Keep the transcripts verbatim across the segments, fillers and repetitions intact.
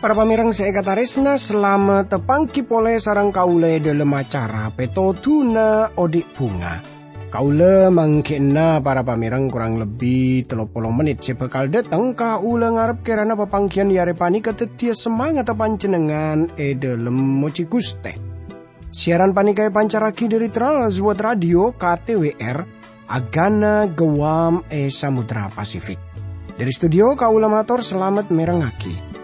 Para pamèrèng sè èkatarèsna, salamet tapangghi polè sareng kaulâ è dhâlem acara Pètodhuna Odi' Bhunga. Kaulâ mangghi'na para pamèrèng korang lebbi tello polo mennit sè bhâkal dhâteng. Kaulâ ngarep kèrana papangghiyân è arè panèka dhâddhiyâ samangatta panjhennengngan è dhâlem mojhi Ghustè. Siaran panèka èpancarraghi dhâri Trans World Radio K T W R, Agana Guam è Samudra Pasifik. Dhâri studio kaulâ mator salamet mèrengngaghi.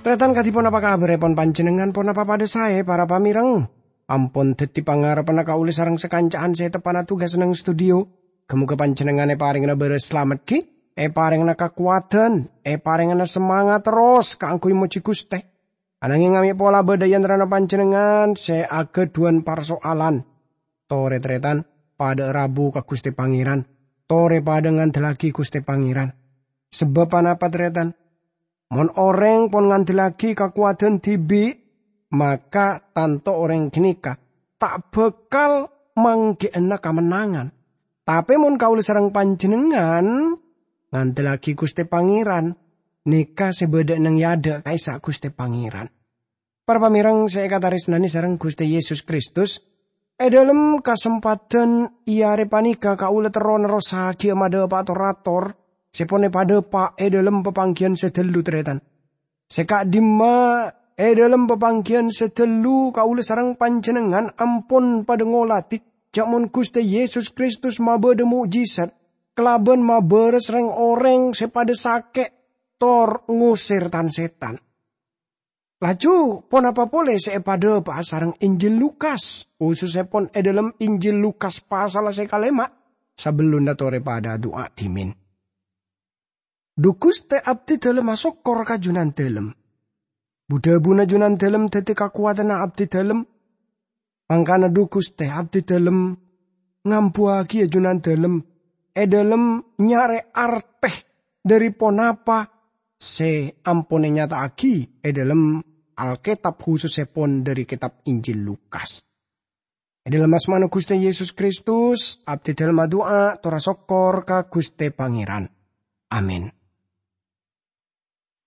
Tarètan, kadhi ponapa kabhârèpon panjhennengngan? Ponapa padhâ saè, para pamèrèng? Ampon dhâddhi pangarebbhânna kaulâ sareng sakanca'an sè teppa'na tugas neng studio. Ghâ-mogâ panjhennengngan èparèngana bârâs salamet ghi, èparèngana kakowadhân, èparèngana samangat terros kaangghuy mojhi Ghustè. Ananghing amè' pola bâdâ è antarana panjhennengngan sè aghâdhuwân parso'alan. Torè, tarètan, padhâ'â rabu ka Ghustè Pangèran. Torè padhâ ngandellaghi Ghustè Pangèran. Sabâb ponapa, tarètan? Mon orèng pon ngandellaghi kakowadhân dhibi', maka tanto orèng ghânèka ta' bhâkal mangghi'âna kamennangan. Tapè mon kaulâ sareng panjhennengngan ngandellaghi Ghustè Pangèran, nèka sè bâdâ neng è adâ' ka'issa' Ghustè Pangèran. Para pamèrèng sè èkatarèsnanè sareng Ghustè Yesus Kristus, è dhâlem kasempadhân è arè panèka kaulâ terro nerrossaghiyâ madhâpa' tor-ator sè pon èpadhâpa' è dhâlem papangghiyân sè dâllu, tarètan. Sè ka'dimma, è dhâlem papangghiyân sè dâllu kaulâ sareng panjhennengngan ampon padhâ ngolatè jhâ' mon Ghustè Yesus Kristus mabâdâ mo'jizat kalabân mabârâs rèng-orèng sè padhâ sakè' tor ngosèr tan-sètan. Laju, ponapa polè sè èpadhâpa'a sareng Injil Lukas, khusussèpon è dhâlem Injil Lukas pasal sè kalèma', sabellunna torè padhâ adu'a dhimèn? Dhu Ghustè, abdhidhâlem asokkor ka Junandhâlem. Bu-dhâbuna Junandhâlem dhâddhi kakowadhânna abdhidhâlem. Mangkana dhu Ghustè, abdhidhâlem ngambuwâghiyâ Junandhâlem è dhâlem nyarè artè dhâri ponapa sè ampon ènyata'aghi è dhâlem Alkètab, khusussèpon dhâri kètab Injil Lukas. È dhâlem asmana Ghustè Yesus Kristus, abdhidhâlem adu'a tor asokkor ka Ghustè Pangèran. Amin.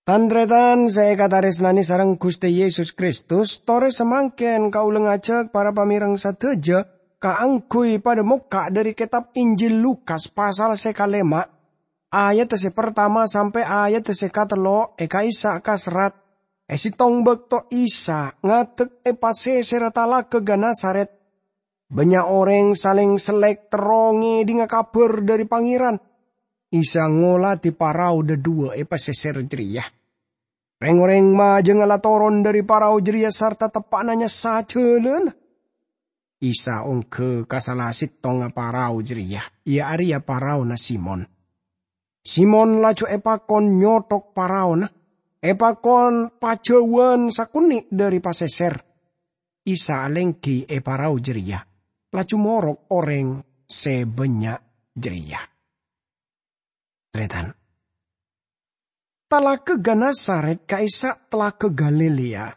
Tan-tarètan sè èkatarèsnanè sareng Ghustè Yesus Kristus, torè samangkèn kaulâ ngajhâk para pamèrèng sadhâjâ kaangghuy padhâ mokka' dhâri kètab Injil Lukas pasal sè kalèma', ayaddhâ sè partama sampè' ayaddhâ sè katello' è ka'issa' kaserrat, è sèttong bâkto Isa ngadek è pasèsèrra Talaga Genesaret. Bânnya' orèng salèng sellèk terro ngèdhingngâ kabhâr dhâri Pangèran. Isa ngolatè parao dhâduwâ' è pasèsèr jârèya. Rèng-orèng majângnga la toron dhâri parao jârèya sarta teppa'na nyassa jhâlâna. Isa ongghâ ka sala sèttongnga parao jârèya, iyâ arèya paraona Simon. Simon laju èpakon nyothok paraona, èpakon pajhâuwân sakonè' dhâri pasèsèr. Isa alèngghi è parao jârèya, laju morok orèng sè bânnya' jârèya. Tarètan. Talaga Genesaret ka'issa' Talaga Galilea.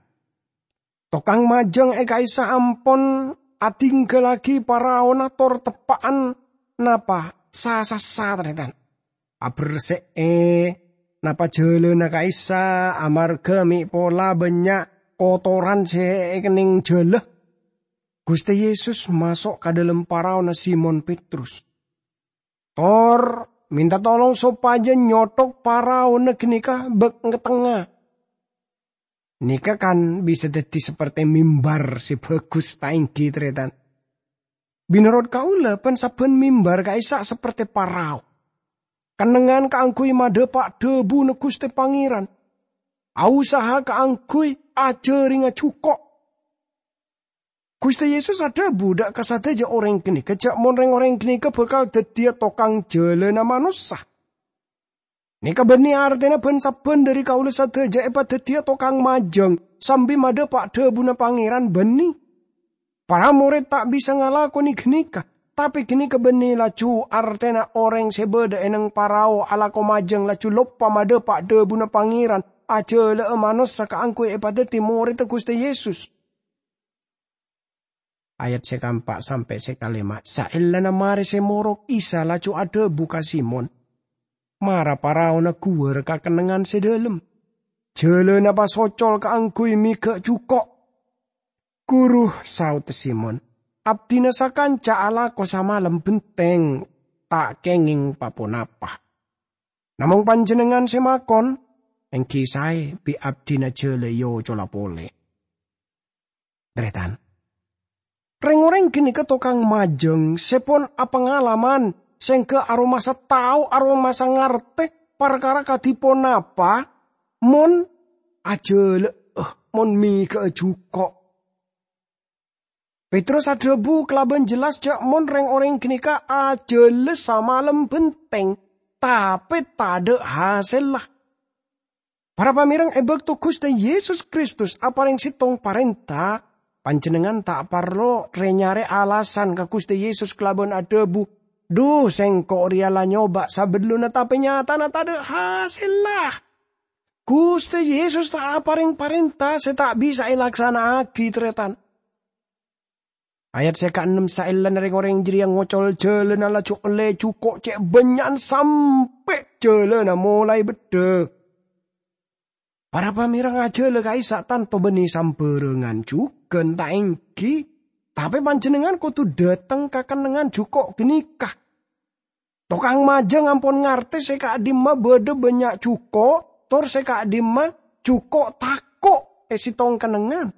Tokang majâng è ka'issa' ampon adhingghâllaghi paraona tor teppa'an napa sa-sassa, tarètan. Aberse'è napa jhâlâna ka'issa' amarghâ mè' pola bânnya' kotoran sè èkennèng jhâlâ. Ghustè Yesus maso' ka dhâlem paraona Simon Petrus. Tor mènta tolong sopajâ nyothok paraona ghânèka bâk-, ngètengnga. Nèka kan bisa dhâddhi sapertè mimbar sè bhâghus, ta' èngghi, tarètan? Mènorot kaulâ, pan-sabbhân mimbar ka'issa' sapertè parao. Kennengngan kaangghuy madhâpa' dhâbuna Ghustè Pangèran. Ausaha kaangghuy ajhâringnga jhuko'. Ghustè Yesus adhâbu dâ' ka sadhâjâ orèng ghânèka jhâ' mon rèng-orèng ghânèka bhâkal dhâddhiyâ tokang jhâlâna manossa. Nèka bânnè artèna bân-sabbhân dhâri kaulâ sadhâjâ èpadhâddhiyâ tokang majâng sambi madhâpa' dhâbuna Pangèran bânnè. Para morèd ta' bisa ngalakonè ghânèka, tapè ghânèka bânnè laju artèna orèng sè bâdâ è neng parao alako majâng laju loppa madhâpa' dhâbuna Pangèran, ajhâlâ'â manossa kaangghuy èpadhâddhi morèdda Ghustè Yesus. Ayat sè kaempa' sampè' sè kalèma'. Saellana marè sè morok, Isa laju adhâbu ka Simon, "Mara paraona ghuwâr ka kennengngan sè dhâlem. Jhâlâna pasocol kaangghuy mèghâ' jhuko'." "Ghuru," saodda Simon, "abdhina sakanca alako samalem bhenteng ta' kèngèng pa-ponapa. Namong panjhennengngan sè makon, èngghi saè bi' abdhina jhâlâ èocola polè." Tarètan. Rèng-orèng ghânèka tokang majâng sè pon apangalaman, sèngghâ aromasa tao, aromasa ngartè parkara kadhi ponapa mon ajhâlâ'â, mon mèghâ'â jhuko'. Petrus adhâbu kalabân jelas jhâ' mon rèng-orèng ghânèka ajhâlâ samalem bhenteng, tapè tadhâ' hasèlla. Para pamèreng, è bâkto Ghustè Yesus Kristus aparèng sèttong parènta, panjhennengngan ta' parlo rè-nyarè alasan ka Ghustè Yesus kalabân adhâbu, "Dhu, sèngko' rèya la nyoba sabellunna, tapè nyatana tadhâ' hasèlla." Ghustè Yesus ta' aparèng parènta sè ta' bisa èlaksana'aghi, tarètan. Ayat sè kaennem. Saellana rèng-orèng jârèya ngocol jhâlâna, laju ollè jhuko' cè' bânnya'an sampè' jhâlâna molaè beddhâ. Para pamèreng, ajhâlâ ka'issa' tanto bânnè sambhârângan jhughân, ta' èngghi? Tapè panjhennengngan kodhu dhâteng ka kennengngan jhuko' ghânèka. Tokang majâng ampon ngartè sè ka'dimma bâdâ bânnya' jhuko', tor sè ka'dimma jhuko' tako' è sèttong kennengngan.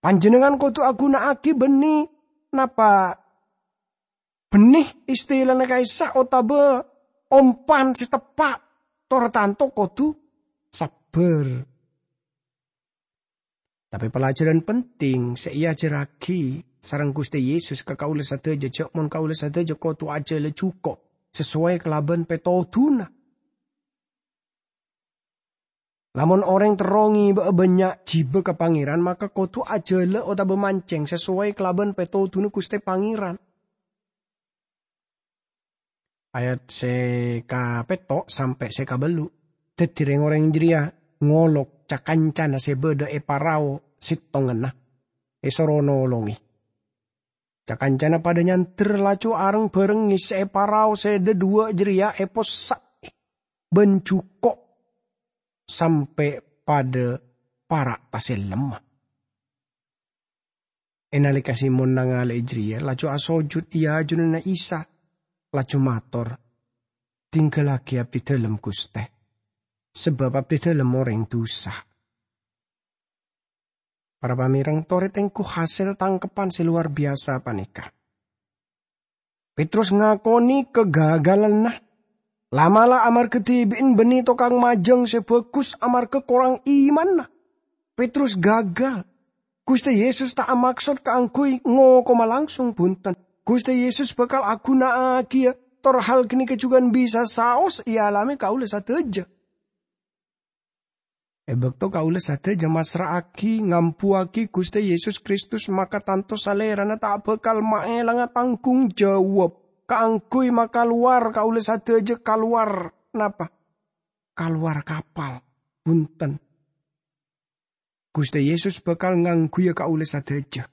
Panjhennengngan kodhu aghuna'aghi bânnè napa bânnè istilana ka'issa' otabâ ompan sè teppa', tor tanto kodhu sabbhâr. Tapè pelajaran penting sè èajhârraghi sareng Ghustè Yesus ka kaulâ sadhâjâ, jhâ' mon kaulâ sadhâjâ kodhu ajhâlâ jhuko' sasoway kalabân pètodhuna. Lamon orèng terro ngèbâ'â bânnya' jhibâ ka Pangèran, maka kodhu ajhâlâ otabâ mancèng sasoway kalabân pètodhuna Ghustè Pangèran. Ayat sè kapètto' sampè' sè kabâllu'. Dhâddhi rèng-orèng jârèya ngolok ca-kancana sè bâdâ è parao sèttonganna, èsoro nolongè. Ca-kancana padâ nyandher, laju areng-bhâreng ngèssè'è parao sè dhâduwâ' jârèya, èpossa'è bân jhuko' sampè' padâ para' tasèllemma. È nalèka Simon nangalè'è jârèya, laju asojud è ajunanna Isa, laju mator, "Tingghâllaghi abdhidhâlem, Ghustè, sabâb abdhidhâlem orèng dusa." Para pamèreng, torè tengghu hasèl tangkepan sè lowar biyasa panèka. Petrus ngakonè kagagalanna. La'-mala' amarghâ dhibi'en bânnè tokang majâng sè bhâghus amarghâ korang imanna. Petrus gagal. Ghustè Yesus ta' amaksod kaangghuy ngokoma langsung, bhunten. Ghustè Yesus bhâkal aghuna'aghiyâ tor hal ghânèka jhughân bisa saos èalamè kaulâ sadhâjâ. È bâkto kaulâ sadhâjâ massra'aghi, ngambuwâghi Ghustè Yesus Kristus, maka tanto Salèrana ta' bhâkal maèlanga tangghung jawab kaangghuy makalowar kaulâ sadhâjâ kalowar, napa? Kalowar kapal. Bhunten. Ghustè Yesus bhâkal ngangghuya kaulâ sadhâjâ.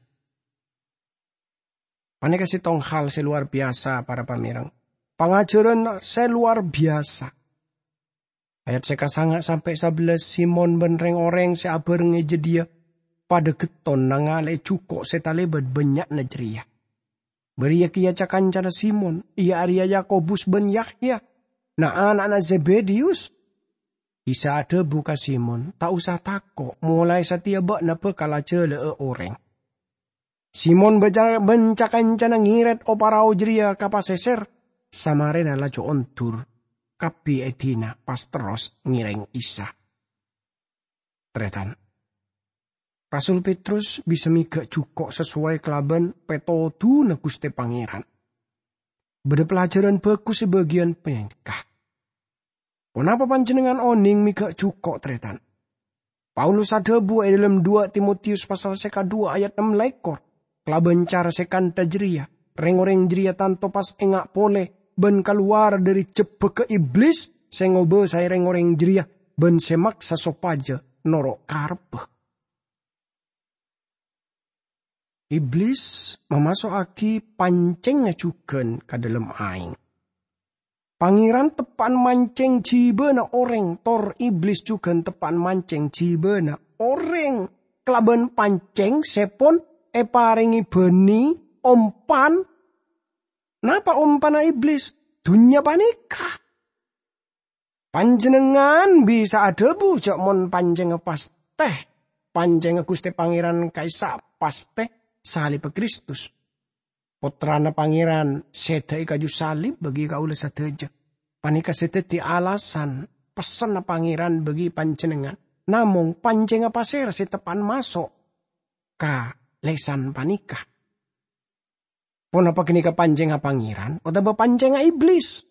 Panèka sèttong hal sè lowar biyasa, para pamèreng. Pangajhârân sè lowar biyasa. Ayat sè kasanga' sampè' sabellâs, Simon bân rèng-orèng sè abhâreng è jâdiyâ padâ ghetton nangalè'è jhuko' sè talèbât bânnya'na jârèya. Bâriyâ kèya ca-kancana Simon, iyâ arèya Yakobus bân Yahya, na'-ana'na Zebediyus. Isa adhâbu ka Simon, "Ta' osa tako', molaè satèya bâ'na bhâkal ajhâlâ'â orèng." Simon bân ca-, bân ca-kancana ngèrèt o-parao jârèya ka pasèsèr, samarèna laju ondur, kabbhi èdina pas terros ngèrèng Isa. Tarètan. Rasul Petrus bisa mèghâ' jhuko' sasoway kalabân pètodhuna Ghustè Pangèran. Bâdâ pelajaran bhâghus è bâgiyân panèka. Ponapa panjennengngan oneng mè' ga' juko', tarètan? Paulus adhâbu è dhâlem dua Timotius pasal sè kadhuwâ ayat ennem lèkor, kalabân cara sè kantha jârèya, rèng-orèng jârèya tanto pas enga' polè bân kalowar dhâri jebbhâgghâ Iblis sè ngobâsaè rèng-orèng jârèya bân sè maksa sopajâ noro' karebbhâ. Iblis mamaso'aghi pancèngnga jhughân ka dhâlem aèng. Pangèran teppa'an mancèng jhibâna orèng, tor Iblis jhughân teppa'an mancèng jhibâna orèng kalabân pancèng sè pon èparèngè bânnè ompan. Napa ompanna Iblis? Dhunnya panèka. Panjennengngan bisa adhâbu jhâ' mon pancèngnga pastè, pancèngnga Ghustè Pangèran ka'issa' pastè salibbhâ Kristus, Pottrana Pangèran sè dâ' è kaju salib bagi kaulâ sadhâjâ. Panèka sè dhâddhi alasan pessenna Pangèran bagi panjennengngan. Namong, pancèngnga pasèra sè teppa'an maso' ka lèsan panèka? Ponapa ghânèka pancèngnga Pangèran otabâ pancèngnga Iblis?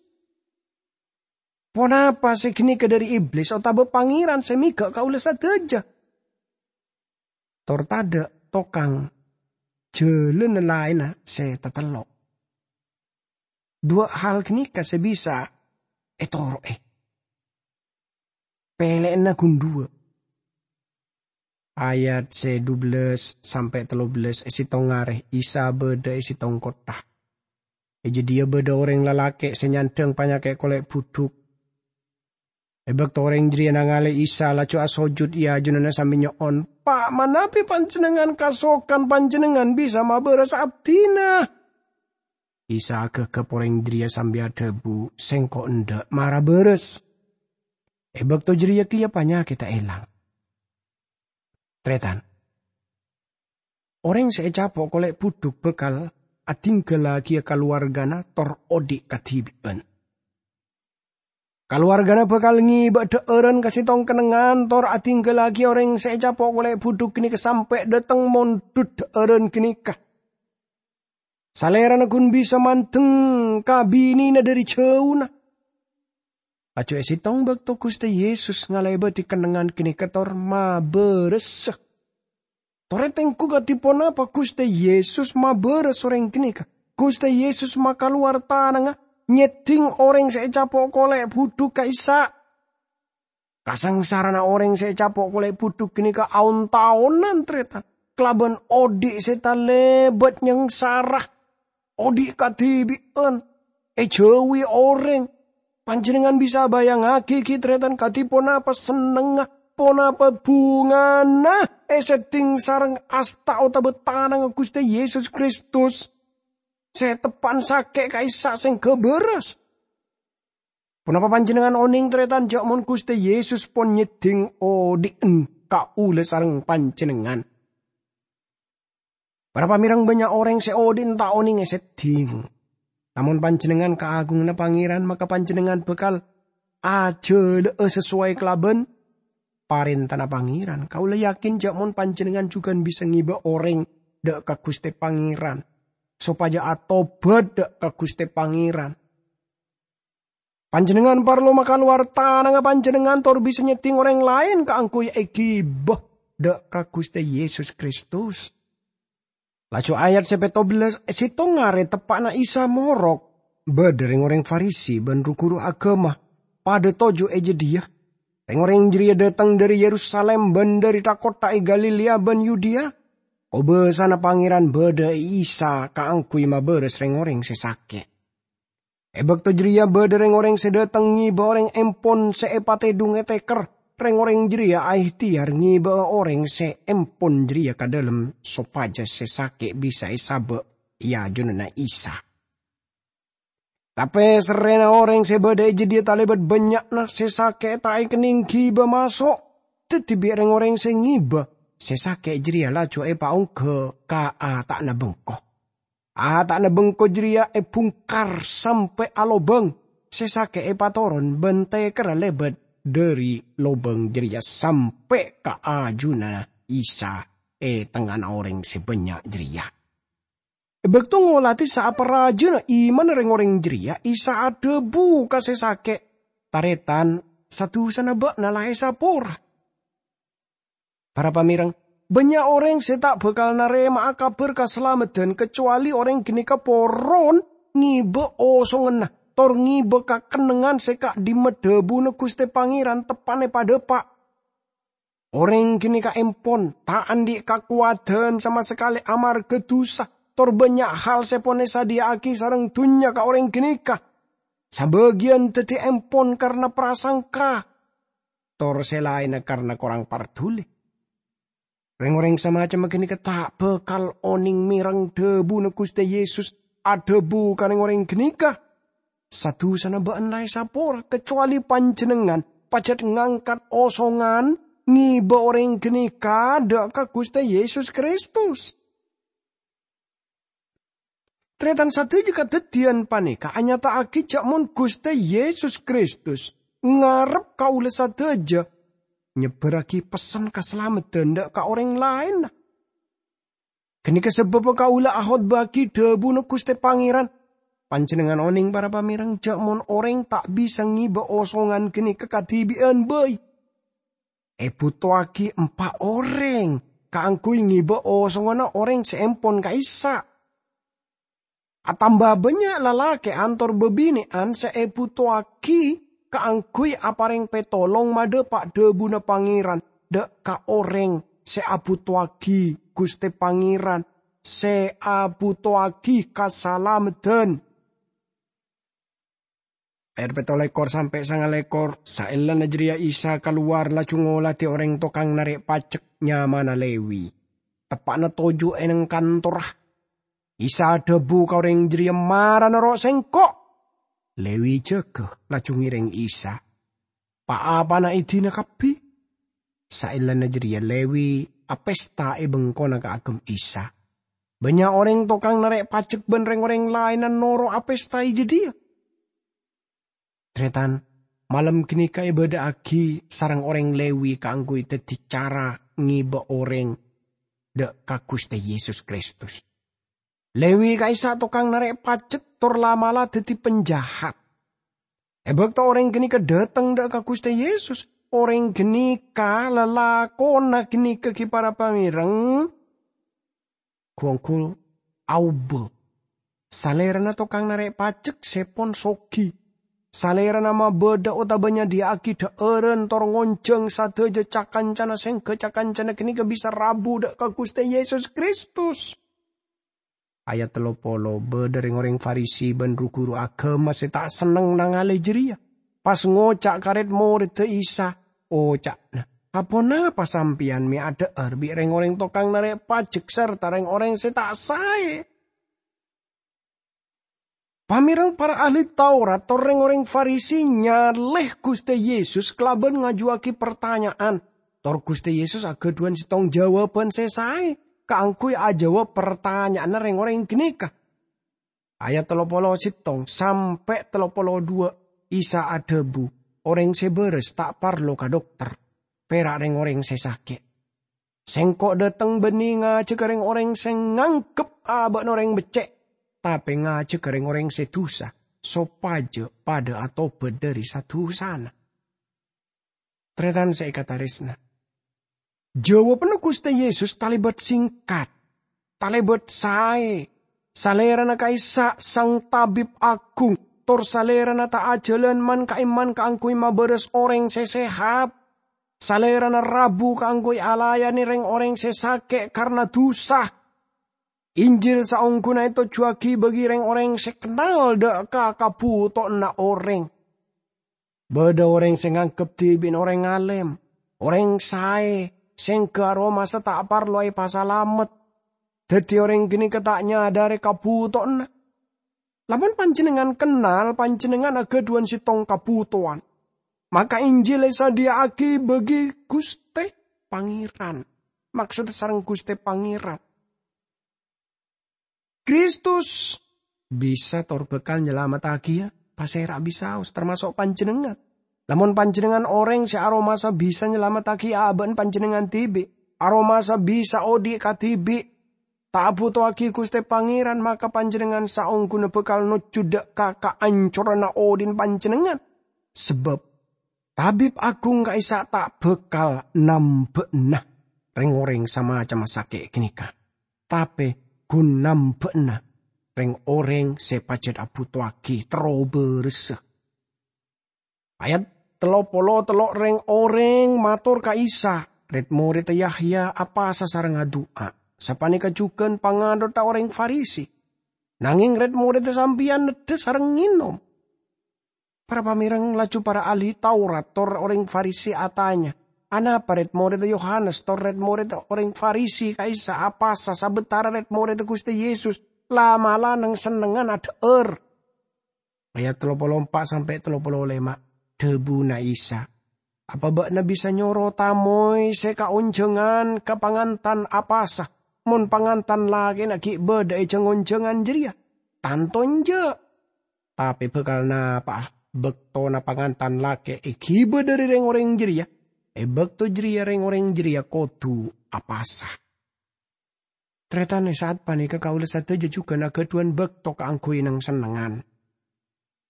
Ponapa sè ghânèka dhâri Iblis otabâ Pangèran sè mèghâ' kaulâ sadhâjâ? Tor tadâ' tokang jhâlânna laènna sè tatello'. Duwâ' hal ghânèka sè bisa ètoro'è. Pèlè'anna ghun duwâ'. Ayat sè dubellâs sampè' tello bellâs, è sèttong arè Isa bâdâ è sèttong kottha. È jâdiyâ bâdâ orèng lalakè' sè nyandhâng panyakè' kolè' budhuk. È bâkto orèng jârèya nangalè Isa, laju asojud è ajunanna sambi nyo'on, "Pa' manabi Panjennengngan kasokan, Panjennengngan bisa mabârâs abdhina." Isa aghâghâp orèng jârèya sambi adhâbu, "Sèngko' endâ', mara bârâs." È bâkto jârèya kèya panyakèdda èlang. Tarètan, orèng sè ècapo' kolè' budhuk bhâkal adhingghâllaghiyâ kalowarghâna tor odi' kadhibi'ân. Kalowarghâna bhâkal ngèbâ dhâ'ârân ka sèttong kennengngan tor adhingghâllaghiyâ orèng sè ècapo' kolè' budhuk ghânèka sampè' dâteng mondhut dhâ'ârân ghânèka. Salèrana ghun bisa mandeng ka binèna dhâri jhâuna. Laju è sèttong bâkto Ghustè Yesus ngalèbâdhi kennengngan ghânèka tor mabârâsa. Torè tengghu kadhi ponapa Ghustè Yesus mabârâs orèng ghânèka. Ghustè Yesus makalowar tanangnga nyèddhing orèng sè ècapo' kolè' budhuk ka'issa'. Kasangsarana orèng sè ècapo' kolè' budhuk ghânèka aon-taonan, tarètan, kalabân odi' sè talèbât nyangsara, odi' kadhibi'ân, èjhâuwi orèng. Panjennengngan bisa abayangngaghi ghi', tarètan, kadhi ponapa sennengnga, ponapa bhungana èsèddhing sareng asta otabâ tanangnga Ghustè Yesus Kristus sè teppa'an sakè' ka'issa' sèngghâ bârâs. Ponapa panjennengngan onèng, tarètan, jhâ' mon Ghustè Yesus pon nyèddhing odi'en kaulâ sareng panjennengngan? Para pamèreng, bânnya' orèng sè odi'en ta' onèng èsèddhing. Namong panjennengngan kaagunganna Pangèran, maka panjennengngan bhâkal ajhâlâ'â sasowai kalabân parèntana Pangèran. Kaulâ yakin jhâ' mon panjennengngan jhughân bisa ngèbâ orèng dâ' ka Ghustè Pangèran, sopajâ atobhât dâ' ka Ghustè Pangèran. Panjennengngan parlo makalowar tanangnga panjennengngan tor bisa nyèddhing orèng laèn kaangghuy èghibâ dâ' ka Ghustè Yesus Kristus. Laju ayat sè pètto bellâs, è sèttong arè teppa'na Isa morok, bâdâ rèng-orèng Farisi bân ru-ghuru aghâma padâ toju' è jâdiyâ. Rèng-orèng jârèya dâteng dâri Yerusalim bân dâri tha-kottha è Galilea bân Yudea. Kobâsana Pangèran bâdâ è Isa kaangghuy mabârâs rèng-orèng sè sakè'. È bâkto jârèya bâdâ rèng-orèng sè dâteng ngèbâ orèng empon sè èpatèdhung è tèkèr. Rèng-orèng jârèya aèhtèyar ngèbâ'â orèng sè empon jârèya ka dâlem sopajâ sè sakè' bisa èsabâ' è ajunanna Isa. Tapè serrèna orèng sè bâdâ è jâdiyâ talèbât bânnya'na sè sakè' ta' èkennèng ghibâ maso'. Dhâddhi bi' rèng-orèng sè ngèbâ sè sakè' jârèya laju èpaongghâ ka ata'na bengko. Ata'na bengko jârèya èbhungkar sampè' alobâng, sè sakè' èpatoron bân tèkèrra lèbât dâri lobâng jârèya sampè' ka ajunanna Isa è tengnga'anna orèng sè bânnya' jârèya. È bâkto ngolatè saparajâna imanna rèng-orèng jârèya, Isa adhâbu ka sè sakè', "Tarètan, Sa-dusana ba'na la èsapora. Para pamèreng, bânnya' orèng sè ta' bhâkal narèma'a kabhâr kasalameddhân kacowalè orèng ghânèka poron ngibâ osonganna, tor ngibâ kakennengngan sè ka'dhimma dhâbuna Ghustè Pangèran teppa'na èpadhâpa'. Orèng ghânèka empon ta' andi' kakowadhân sama sakalè amarghâ dhusa, tor bânnya' hal sè pon èsadhiyâ'aghi sareng dhunnya ka orèng ghânèka. Sabâgiyân dhâddhi empon karna prasangka, tor sè laènna karna korang parduli. Rèng-orèng samacemma ghânèka ta' bhâkal onèng mèreng dhâbuna Ghustè Yesus adhâbu ka rèng-orèng ghânèka, "Sa-dusana bâ'na la èsapora, kacowalè panjhennengngan pajhât ngangkat osongan ngibâ orèng ghânèka dâ' ka Ghustè Yesus Kristus." Tarètan, sadhâjâ kadhâddhiyân panèka anyata'aghi jhâ' mon Ghustè Yesus Kristus ngarep kaulâ sadhâjâ nyebbhârraghi pessen kasalameddhân dâ' ka orèng laènna. Ghânèka sabâbbhâ kaulâ akhotbâ'aghi dhâbuna Ghustè Pangèran. Panjhennengngan onèng, para pamèreng, jhâ' mon orèng ta' bisa ngibâ osongan ghânèka kadhibi'ân bhâi. Èbhuto'aghi empa' orèng kaangghuy ngibâ osonganna orèng sè empon ka'issa'. Atamba bânnya' lalakè'an tor bâbinè'an sè èbhuto'aghi kaangghuy aparèng pètolong madhâpa' dhâbuna Pangèran dâ' ka orèng sè abhuto'aghi Ghustè Pangèran, sè abhuto'aghi kasalameddhân. Ayat pètto lèkor sampè' sanga lèkor, saellana jârèya Isa kalowar laju ngolatè orèng tokang narè' pajhek nyamana Lewi, teppa'na toju' è neng kantorra. Isa adhâbu ka orèng jârèya, "Mara noro' Sèngko'." Lewi jâgâ, laju ngèrèng Isa. Pa-apana èdina kabbhi. Saellana jârèya Lewi apesta è bengkona kaagem Isa. Bânnya' orèng tokang narè' pajhek bân rèng-orèng laènna noro' apesta è jâdiyâ. Tarètan, malem ghânèka èbâdâ'aghi sareng orèng Lewi kaangghuy dhâddhi cara ngibâ orèng dâ' ka Ghustè Yesus Kristus. Lewi ka'issa' tokang narè' pajhek tor la'-mala' dhâddhi panjahat. È bâkto orèng ghânèka dhâteng dâ' ka Ghustè Yesus, orèng ghânèka lalakonna ghânèka ghi' para pamèreng, ghu-ongghu aobâ. Salèrana tokang narè' pajhek sè pon soghi. Salèrana mabâdâ otabâ nyadhiyâ'aghi dhâ'ârân tor ngonjhâng sadhâjâ ca-kancana, sèngghâ ca-kancana ghânèka bisa rabu dâ' ka Ghustè Yesus Kristus. Ayat tello polo, bâdâ rèng-orèng Farisi bân ru-ghuru aghâma sè ta' senneng nangalè jârèya, pas ngoca' ka rèd-morèdda Isa, oca'na, "Aponapa sampèyan mè' adhâ'âr bi' rèng-orèng tokang narè' pajhek sarta rèng-orèng sè ta' saè?" Pamèreng, para ahli Taurat tor rèng-orèng Farisi nyalè Ghustè Yesus kalabân ngajuwâghi partanya'an. Tor Ghustè Yesus aghâdhuwân sèttong jawabhân sè saè kaangghuy ajâwâb partanya'anna rèng-orèng ghânèka. Ayat tello polo sèttong sampè' tello polo duwâ', Isa adhâbu, "Orèng sè bârâs ta' parlo ka dokter, pèra' rèng-orèng sè sakè'. Sèngko' dhâteng bânnè ngajhâghâ rèng-orèng sè nganggep abâ'na orèng beccè', tapè ngajhâghâ rèng-orèng sè dhusa, sopajâ padâ atobât dhâri sa-dhusana." Tarètan sè èkatarèsna, jâwâbhânna Ghustè Yesus talèbât singkat, talèbât saè. Salèrana ka'issa' Sang Tabib Aghung, tor Salèrana ta' ajhâlân man-ka'imman kaangghuy mabârâs orèng sè sehat. Salèrana rabu kaangghuy alayanè rèng-orèng sè sakè' karna dhusa. Injil saongghuna ètojjhuwâghi bagi rèng-orèng sè kennal dâ' ka kabhutowanna orèng. Bâdâ orèng sè nganggep dhibi'na orèng alèm, orèng saè, sèngghâ aromasa ta' parlo èpasalamet. Dhâddhi orèng ghânèka ta' nyadhâri kabhutowanna. Lamon panjhennengngan kennal panjhennengngan aghâdhuwân sèttong kabhutowan, maka Injil èsadhiyâ'aghi bagi Ghustè Pangèran. Maksodda sareng Ghustè Pangèran. Kristus bisa tor bhâkal nyalamettaghiyâ pasèra bisaos, tamaso' panjhennengngan. Lamon panjhennengngan orèng sè aromasa bisa nyalamettaghi abâ'na panjhennengngan dhibi', aromasa bisa odi' kadhibi', ta' abhutowaghi Ghustè Pangèran, maka panjhennengngan saongghuna bhâkal nojjhu dâ' ka kaancoranna odhi'na panjhennengngan. Sabâb Tabib agung ka'issa' ta' bhâkal nambâ'âna rèng-orèng samacemma sakè' ghânèka, tapè ghun nambâ'âna rèng-orèng sè pajhât abhutowaghi terro bârâssa. Ayat tello polo tello', rèng-orèng mator ka Isa, "Rèd-morèdda Yahya apasa sareng adu'a, sapanèka jhughân pangathonna orèng Farisi. Nangèng rèd-morèdda Sampèyan neddhâ sareng ngènom." Para pamèreng, laju para ahli Taurat tor orèng Farisi atanya, "Anapa rèd-morèdda Yohanes tor rèd-morèdda orèng Farisi ka'issa' apasa sabâtara rèd-morèdda Ghustè Yesus la'-mala' neng-sennengngan adhâ'âr?" Ayat tello polo empa' sampè' tello polo lèma', dhâbuna Isa, "Apa bâ'na bisa nyoro tamoy sè kaonjhângan ka pangantan apasa, mon pangantan lakèna ghi' bâdâ è jhâng-onjhângan jârèya? Tanto enjâ'! Tapè bhâkal napa'a bâktona pangantan lakè' èghibâ dhâri rèng-orèng jârèya. È bâkto jârèya rèng-orèng jârèya kodhu apasa." Tarètan, è sa'at panèka kaulâ sadhâjâ jhughân aghâdhuwân bâkto kaangghuy neng-sennengngan.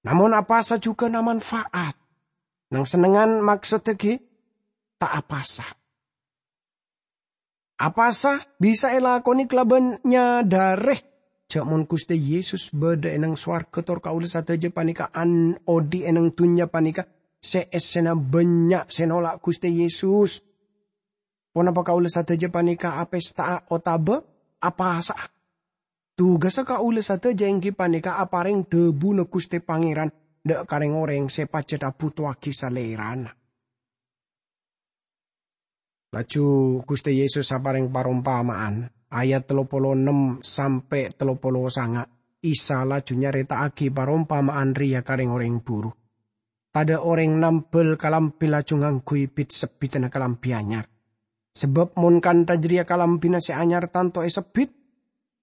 Namong apasa jhughân amanfa'at. Neng-sennengngan maksoddhâ ghi' ta' apasa. Apasa bisa èlakonè kalabân nyadhârè jhâ' mon Ghustè Yesus bâdâ è neng sowarghâ tor kaulâ sadhâjâ panèka an-, odi' è neng dhunnya panèka sè èssèna bânnya' sè nola' Ghustè Yesus. Ponapa kaulâ sadhâjâ panèka apèsta'a otabâ apasa'a? Tugassa kaulâ sadhâjâ èngghi panèka aparèng dhâbuna Ghustè Pangèran dâ' ka rèng-orèng sè pajhât abhutowaghi Salèrana. Laju Ghustè Yesus aparèng parompama'an, ayat tello polo ennem sampè' tello polo sanga', Isa laju nyarèta'aghi parompama'an rèya ka rèng-orèng buru. "Tadâ' orèng nambhâl kalambhi laju ngangghuy bit-sebbhidânna kalambhi anyar. Sabâb mon kantha jârèya kalambhina sè anyar tanto èsebbhit,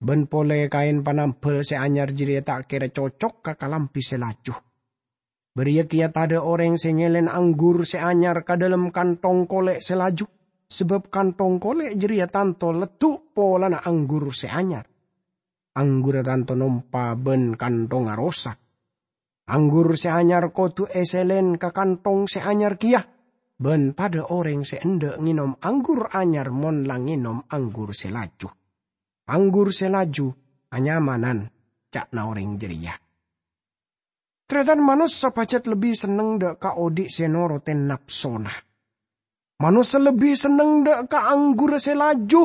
bân polè kaèn panambhâl sè anyar jârèya ta' kèra cocok ka kalambhi sè laju. Bâriyâ kèya tadâ' orèng sè nyèlèn anggur sè anyar ka dâlem kanthong kolè' sè laju, sabâb kanthong kolè' jârèya tanto leddhu' polana anggur sè anyar. Anggurra tanto nompa bân kanthongnga rosak. Anggur sè anyar kodhu èsèlèn ka kanthong sè anyar kèya, bân tadâ' orèng sè endâ' ngènom anggur anyar mon la ngènom anggur sè laju. Anggur sè laju anyamanan," ca'na orèng jârèya. Tarètan, manossa pajhât lebbi senneng dâ' ka odi' sè norotè napsona. Manossa lebbi senneng dâ' ka anggurra sè laju,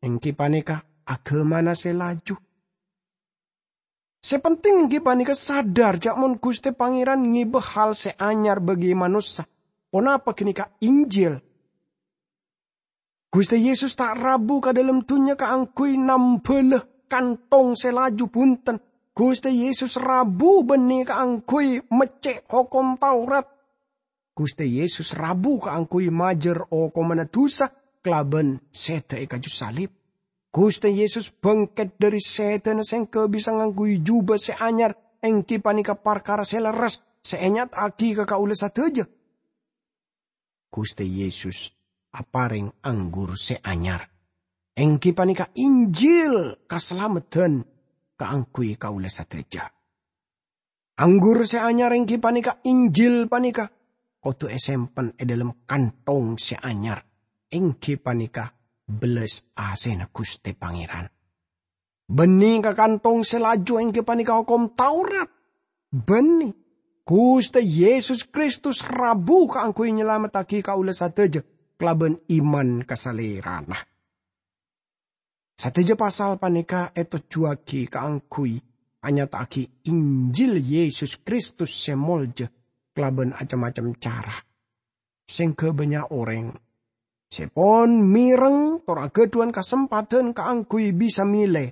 èngghi panèka aghâmana sè laju. Sè penting èngghi panèka sadhâr jhâ' mon Ghustè Pangèran ngèbâ hal sè anyar bagi manossa. Ponapa ghânèka Injil? Ghustè Yesus ta' rabu ka dâlem dhunnya kaangghuy nambhâlâ kanthong sè laju, bhunten. Ghustè Yesus rabu bânnè kaangghuy meccè' hokom Taurat. Ghustè Yesus rabu kaangghuy majâr okomanna dusa kalabân sèdhâ è kaju salib. Ghustè Yesus bângkèt dâri sèdhâna sèngghâ bisa ngangghuy jubâ sè anyar, èngghi panèka parkara sè lerres sè ènyata'aghi ka kaulâ sadhâjâ. Ghustè Yesus aparèng anggur sè anyar, èngghi panèka Injil kasalameddhân kaangghuy kaulâ sadhâjâ. Anggur sè anyar èngghi panèka Injil panèka kodhu èsempen è dâlem kanthong sè anyar, èngghi panèka bellas asèna Ghustè Pangèran. Bânnè ka kanthong sè laju èngghi panèka hokom Taurat. Bânnè, Ghustè Yesus Kristus rabu kaangghuy nyalamettaghi kaulâ sadhâjâ kalabân iman ka Salèrana. Sadhâjâ pasal panèka ètojjhuwâghi kaangghuy anyata'aghi Injil Yesus Kristus sè molja kalabân acem-macem cara. Sèngghâ bânnya' orèng sè pon mèreng tor aghâdhuwân kasempadhân kaangghuy bisa mèlè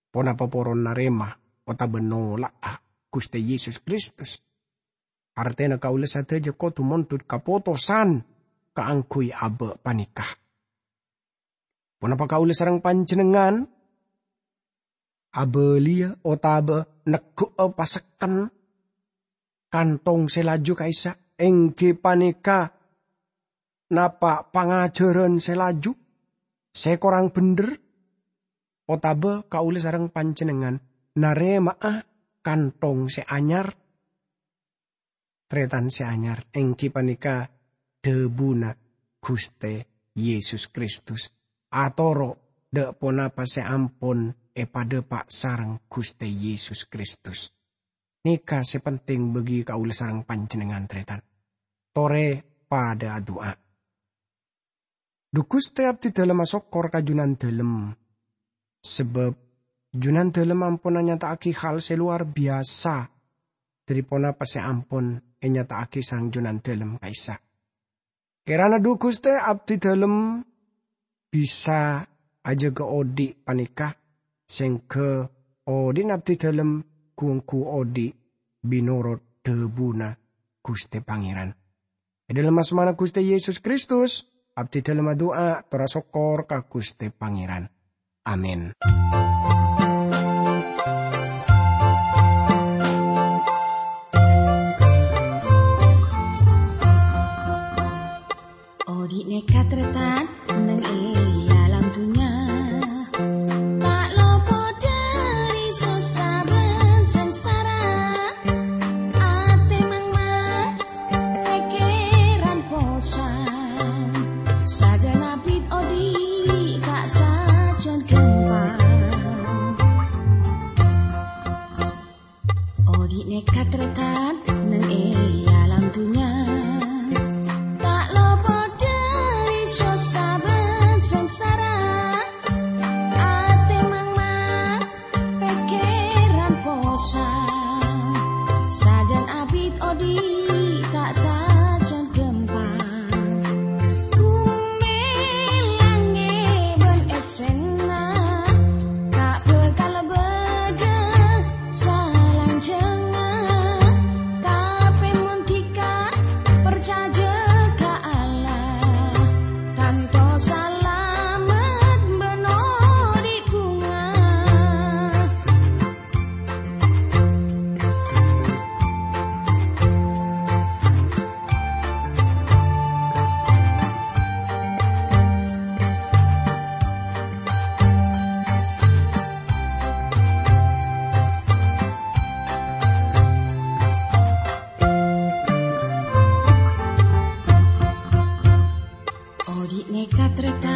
ponapa poron narèma otabâ nola'a Ghustè Yesus Kristus. Artèna kaulâ sadhâjâ kodhu mondhut kapotosan kaangghuy abâ' panèka. Ponapa kaulâ sareng panjhennengngan abâliyâ otabâ negghu'â pasekken kanthong sè laju ka'issa', èngghi panèka napa' pangajhârân sè laju sè korang bhendher? Otabâ kaulâ sareng panjhennengngan narèma'a kanthong sè anyar? tarètan sè anyar, èngghi panèka dhâbuna Ghustè Yesus Kristus, atoro' dâ' ponapa sè ampon èpadhâpa' sareng Ghustè Yesus Kristus. Nèka sè penting bagi kaulâ sareng panjhennengngan, tarètan. Torè padâ adu'a. Dhu Ghustè, abdhidhâlem asokkor ka Jhunandhâlem, sabâb Jhunandhâlem ampon anyata'aghi hal sè lowar biyasa dhâri ponapa sè ampon ènyata'aghi sareng Jhunandhâlem ka'issa'. Kèrana dhu Ghustè, abdhidhâlem bisa ajâgâ odi' panèka, sèngghâ odi'na abdhidhâlem ghu-ongghu odi' mènorot dhâbuna Ghustè Pangèran. È dhâlem asmana Ghustè Yesus Kristus, abdhidhâlem adu'a tor asokkor ka Ghustè Pangèran. Amin. Odi' nèka tarètan neng è alam dhunnya, ta' lopot dhâri sossa bân sangsara. Atè mangmang, pèkkèran posang, sajân abit odi' ta' sajân ghâmpang. Odi' nèka tarètan neng è alam dhunnya, ta' lopot dhâri sossa bân sangsara. Atè mangmang, pèkkèran posang, sajân abit odi' ta' sajân ghâmpang. Ghumè langngè' bân èssèna ta' bhâkal bâdâ salanjhângnga, tapè mon dhika parcajâ ka Allah, tanto salamet bân odi' bhunga. Odi' nèka tarètan